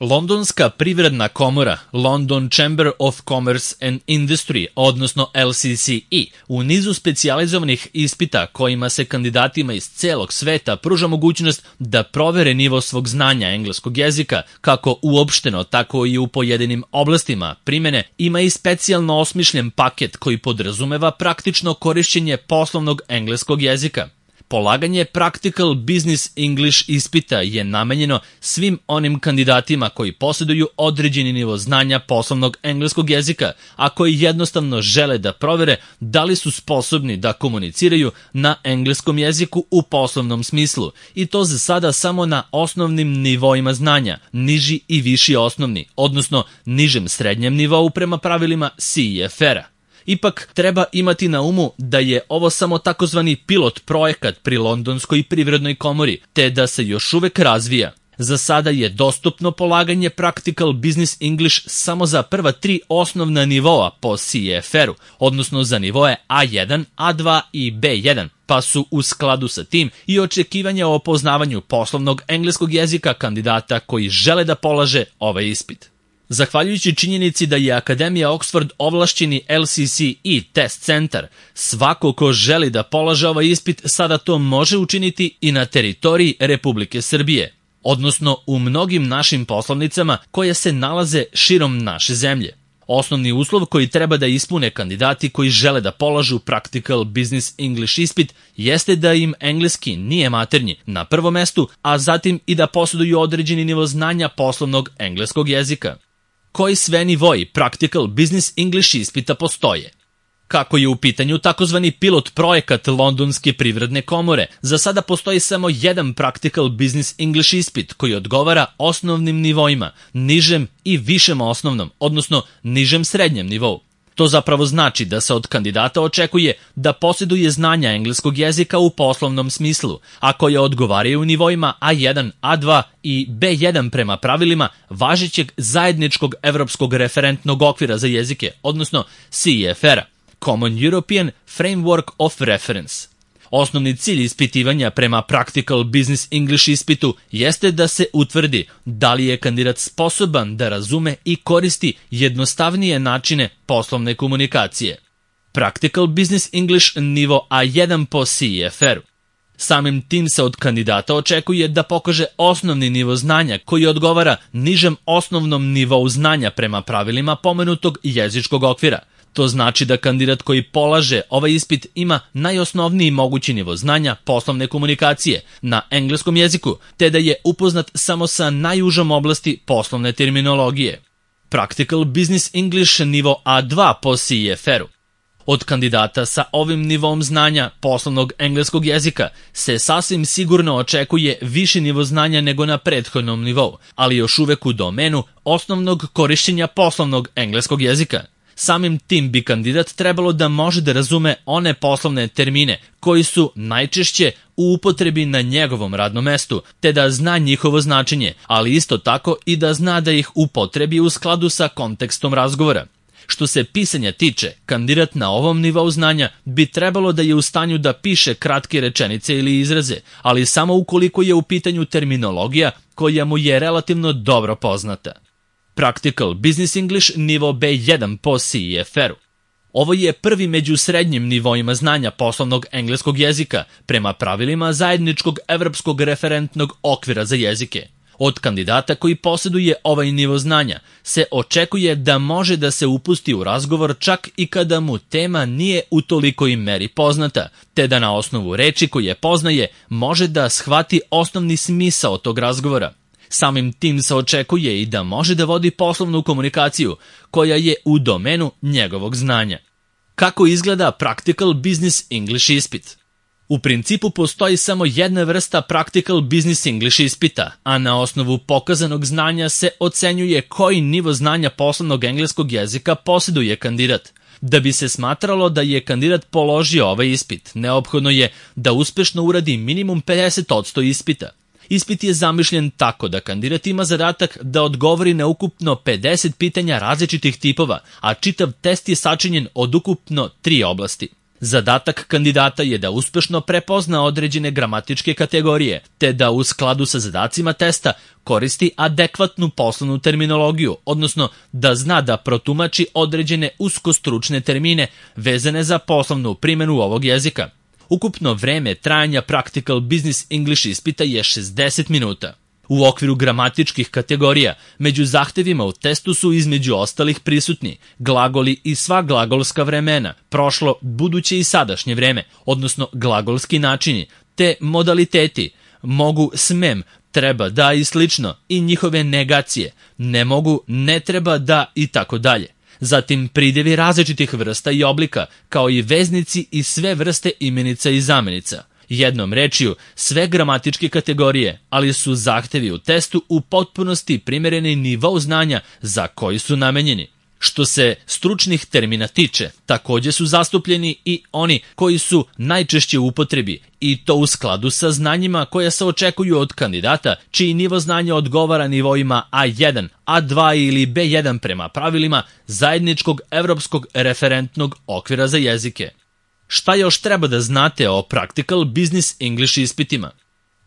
Londonska privredna komora, London Chamber of Commerce and Industry, odnosno LCCE, u nizu specijalizovanih ispita kojima se kandidatima iz celog sveta pruža mogućnost da provere nivo svog znanja engleskog jezika, kako uopšteno, tako i u pojedinim oblastima primene, ima i specijalno osmišljen paket koji podrazumeva praktično korišćenje poslovnog engleskog jezika. Polaganje Practical Business English ispita je namenjeno svim onim kandidatima koji posjeduju određeni nivo znanja poslovnog engleskog jezika, a koji jednostavno žele da provere da li su sposobni da komuniciraju na engleskom jeziku u poslovnom smislu, i to za sada samo na osnovnim nivoima znanja, niži i viši osnovni, odnosno nižem srednjem nivou prema pravilima CEFR-a. Ipak treba imati na umu da je ovo samo takozvani pilot projekat pri Londonskoj privrednoj komori, te da se još uvek razvija. Za sada je dostupno polaganje Practical Business English samo za prva 3 osnovna nivoa po CEFR-u, odnosno za nivoe A1, A2 i B1, pa su u skladu sa tim i očekivanja o poznavanju poslovnog engleskog jezika kandidata koji žele da polaže ovaj ispit. Zahvaljujući činjenici da je Akademija Oxford ovlašćeni LCCE test centar, svako ko želi da polaže ovaj ispit sada to može učiniti i na teritoriji Republike Srbije, odnosno u mnogim našim poslovnicama koje se nalaze širom naše zemlje. Osnovni uslov koji treba da ispune kandidati koji žele da polažu Practical Business English ispit jeste da im engleski nije maternji na prvom mestu, a zatim i da posjeduju određeni nivo znanja poslovnog engleskog jezika. Koji sve nivoi Practical Business English ispita postoje? Kako je u pitanju takozvani pilot projekat Londonske privredne komore, za sada postoji samo jedan Practical Business English ispit koji odgovara osnovnim nivoima, nižem i višem osnovnom, odnosno nižem srednjem nivou. To zapravo znači da se od kandidata očekuje da posjeduje znanja engleskog jezika u poslovnom smislu, a koje odgovaraju u nivoima A1, A2 i B1 prema pravilima važećeg zajedničkog evropskog referentnog okvira za jezike, odnosno CEFR-a, Common European Framework of Reference. Osnovni cilj ispitivanja prema Practical Business English ispitu jeste da se utvrdi da li je kandidat sposoban da razume i koristi jednostavnije načine poslovne komunikacije. Practical Business English nivo A1 po CEFR-u. Samim tim se od kandidata očekuje da pokaže osnovni nivo znanja koji odgovara nižem osnovnom nivou znanja prema pravilima pomenutog jezičkog okvira. To znači da kandidat koji polaže ovaj ispit ima najosnovniji mogući nivo znanja poslovne komunikacije na engleskom jeziku, te da je upoznat samo sa najužom oblasti poslovne terminologije. Practical Business English nivo A2 po CEFR-u. Od kandidata sa ovim nivom znanja poslovnog engleskog jezika se sasvim sigurno očekuje viši nivo znanja nego na prethodnom nivou, ali još uvek u domenu osnovnog korišćenja poslovnog engleskog jezika. Samim tim bi kandidat trebalo da može da razume one poslovne termine koji su najčešće u upotrebi na njegovom radnom mestu, te da zna njihovo značenje, ali isto tako i da zna da ih upotrebi u skladu sa kontekstom razgovora. Što se pisanja tiče, kandidat na ovom nivou znanja bi trebalo da je u stanju da piše kratke rečenice ili izraze, ali samo ukoliko je u pitanju terminologija koja mu je relativno dobro poznata. Practical Business English nivo B1 po CEFR-u. Ovo je prvi među srednjim nivoima znanja poslovnog engleskog jezika prema pravilima zajedničkog evropskog referentnog okvira za jezike. Od kandidata koji posjeduje ovaj nivo znanja se očekuje da može da se upusti u razgovor čak i kada mu tema nije u tolikoj meri poznata, te da na osnovu reči koje poznaje može da shvati osnovni smisao tog razgovora. Samim tim se očekuje i da može da vodi poslovnu komunikaciju koja je u domenu njegovog znanja. Kako izgleda Practical Business English ispit? U principu postoji samo jedna vrsta Practical Business English ispita, a na osnovu pokazanog znanja se ocenjuje koji nivo znanja poslovnog engleskog jezika posjeduje kandidat. Da bi se smatralo da je kandidat položio ovaj ispit, neophodno je da uspešno uradi minimum 50% ispita. Ispit je zamišljen tako da kandidat ima zadatak da odgovori na ukupno 50 pitanja različitih tipova, a čitav test je sačinjen od ukupno 3 oblasti. Zadatak kandidata je da uspešno prepozna određene gramatičke kategorije, te da u skladu sa zadacima testa koristi adekvatnu poslovnu terminologiju, odnosno da zna da protumači određene uskostručne termine vezane za poslovnu primjenu ovog jezika. Ukupno vreme trajanja Practical Business English ispita je 60 minuta. U okviru gramatičkih kategorija, među zahtevima u testu su između ostalih prisutni glagoli i sva glagolska vremena, prošlo, buduće i sadašnje vreme, odnosno glagolski načini, te modaliteti, mogu, smem, treba, da i slično, i njihove negacije, ne mogu, ne treba, da i tako dalje. Zatim pridjevi različitih vrsta i oblika, kao i veznici i sve vrste imenica i zamenica. Jednom rečju, sve gramatičke kategorije, ali su zahtevi u testu u potpunosti primereni nivou znanja za koji su namenjeni. Što se stručnih termina tiče, takođe su zastupljeni i oni koji su najčešće u upotrebi, i to u skladu sa znanjima koja se očekuju od kandidata, čiji nivo znanja odgovara nivoima A1, A2 ili B1 prema pravilima zajedničkog evropskog referentnog okvira za jezike. Šta još treba da znate o Practical Business English ispitima?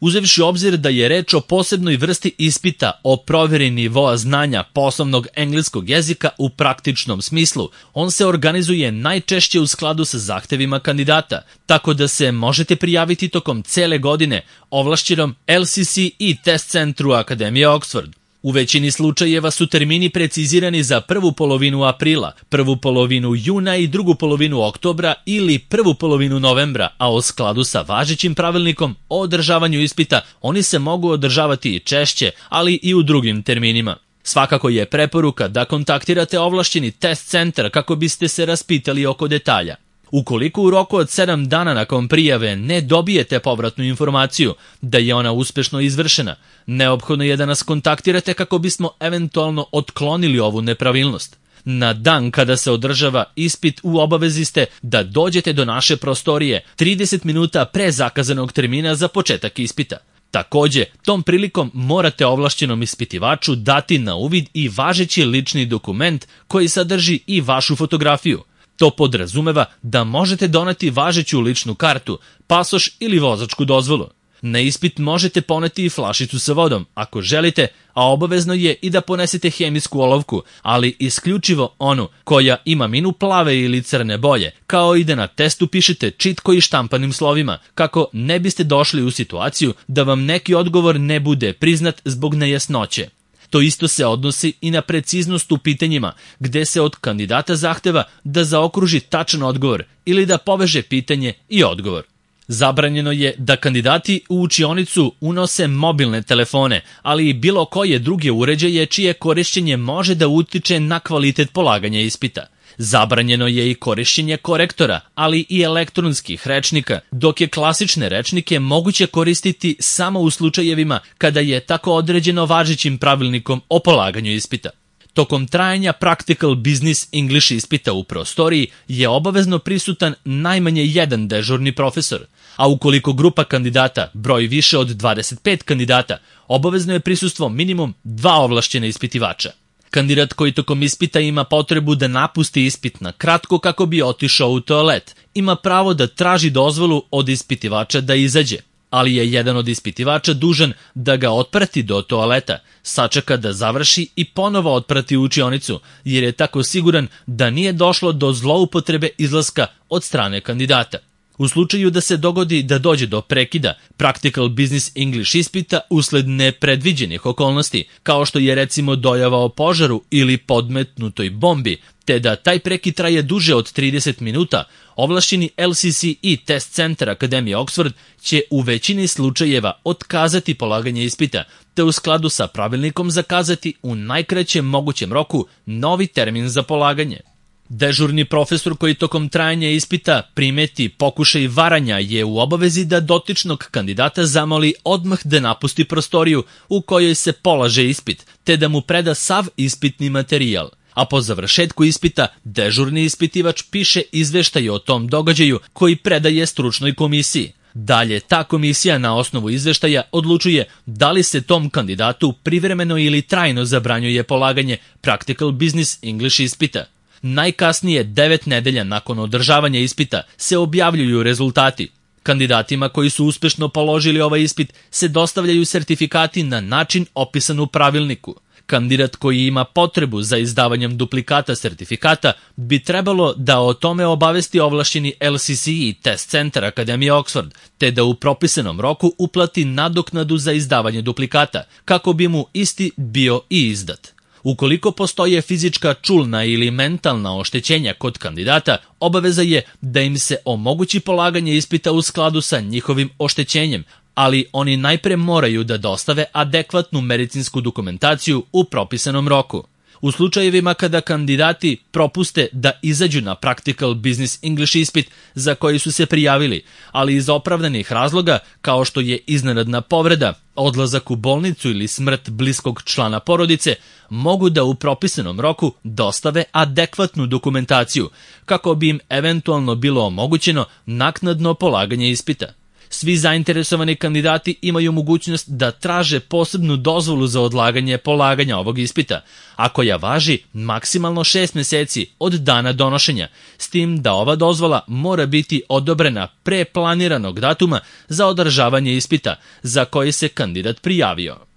Uzevši obzir da je reč o posebnoj vrsti ispita o proveri nivoa znanja poslovnog engleskog jezika u praktičnom smislu, on se organizuje najčešće u skladu sa zahtevima kandidata, tako da se možete prijaviti tokom cele godine ovlašćenom LCCE test centru Akademije Oxford. U većini slučajeva su termini precizirani za prvu polovinu aprila, prvu polovinu juna i drugu polovinu oktobra ili prvu polovinu novembra, a u skladu sa važećim pravilnikom o održavanju ispita oni se mogu održavati i češće, ali i u drugim terminima. Svakako je preporuka da kontaktirate ovlašćeni test centar kako biste se raspitali oko detalja. Ukoliko u roku od 7 dana nakon prijave ne dobijete povratnu informaciju da je ona uspešno izvršena, neophodno je da nas kontaktirate kako bismo eventualno otklonili ovu nepravilnost. Na dan kada se održava ispit u obavezi ste da dođete do naše prostorije 30 minuta pre zakazanog termina za početak ispita. Takođe, tom prilikom morate ovlašćenom ispitivaču dati na uvid i važeći lični dokument koji sadrži i vašu fotografiju. To podrazumeva da možete doneti važeću ličnu kartu, pasoš ili vozačku dozvolu. Na ispit možete poneti i flašicu sa vodom, ako želite, a obavezno je i da ponesete hemijsku olovku, ali isključivo onu koja ima minu plave ili crne boje, kao i da na testu pišete čitko i štampanim slovima, kako ne biste došli u situaciju da vam neki odgovor ne bude priznat zbog nejasnoće. To isto se odnosi i na preciznost u pitanjima, gde se od kandidata zahteva da zaokruži tačan odgovor ili da poveže pitanje i odgovor. Zabranjeno je da kandidati u učionicu unose mobilne telefone, ali i bilo koje druge uređaje čije korišćenje može da utiče na kvalitet polaganja ispita. Zabranjeno je i korišćenje korektora, ali i elektronskih rečnika, dok je klasične rečnike moguće koristiti samo u slučajevima kada je tako određeno važećim pravilnikom o polaganju ispita. Tokom trajanja Practical Business English ispita u prostoriji je obavezno prisutan najmanje jedan dežurni profesor, a ukoliko grupa kandidata broji više od 25 kandidata, obavezno je prisustvo minimum 2 ovlašćena ispitivača. Kandidat koji tokom ispita ima potrebu da napusti ispit na kratko kako bi otišao u toalet, ima pravo da traži dozvolu od ispitivača da izađe, ali je jedan od ispitivača dužan da ga otprati do toaleta, sačeka da završi i ponovo otprati u učionicu, jer je tako siguran da nije došlo do zloupotrebe izlaska od strane kandidata. U slučaju da se dogodi da dođe do prekida Practical Business English ispita usled nepredviđenih okolnosti, kao što je recimo dojava o požaru ili podmetnutoj bombi, te da taj prekid traje duže od 30 minuta, ovlašćeni LCCE test centar Akademije Oxford će u većini slučajeva otkazati polaganje ispita, te u skladu sa pravilnikom zakazati u najkraćem mogućem roku novi termin za polaganje. Dežurni profesor koji tokom trajanja ispita primeti pokušaj varanja je u obavezi da dotičnog kandidata zamoli odmah da napusti prostoriju u kojoj se polaže ispit, te da mu preda sav ispitni materijal. A po završetku ispita, dežurni ispitivač piše izveštaj o tom događaju koji predaje stručnoj komisiji. Dalje, ta komisija na osnovu izveštaja odlučuje da li se tom kandidatu privremeno ili trajno zabranjuje polaganje Practical Business English ispita. Najkasnije 9 nedelja nakon održavanja ispita se objavljuju rezultati. Kandidatima koji su uspešno položili ovaj ispit se dostavljaju sertifikati na način opisan u pravilniku. Kandidat koji ima potrebu za izdavanjem duplikata sertifikata bi trebalo da o tome obavesti ovlašćeni LCCE test centar Akademije Oxford, te da u propisanom roku uplati nadoknadu za izdavanje duplikata, kako bi mu isti bio i izdat. Ukoliko postoje fizička, čulna ili mentalna oštećenja kod kandidata, obaveza je da im se omogući polaganje ispita u skladu sa njihovim oštećenjem, ali oni najpre moraju da dostave adekvatnu medicinsku dokumentaciju u propisanom roku. U slučajevima kada kandidati propuste da izađu na Practical Business English ispit za koji su se prijavili, ali iz opravdanih razloga kao što je iznenadna povreda, odlazak u bolnicu ili smrt bliskog člana porodice, mogu da u propisanom roku dostave adekvatnu dokumentaciju kako bi im eventualno bilo omogućeno naknadno polaganje ispita. Svi zainteresovani kandidati imaju mogućnost da traže posebnu dozvolu za odlaganje polaganja ovog ispita, a koja važi maksimalno 6 meseci od dana donošenja, s tim da ova dozvola mora biti odobrena pre planiranog datuma za održavanje ispita za koji se kandidat prijavio.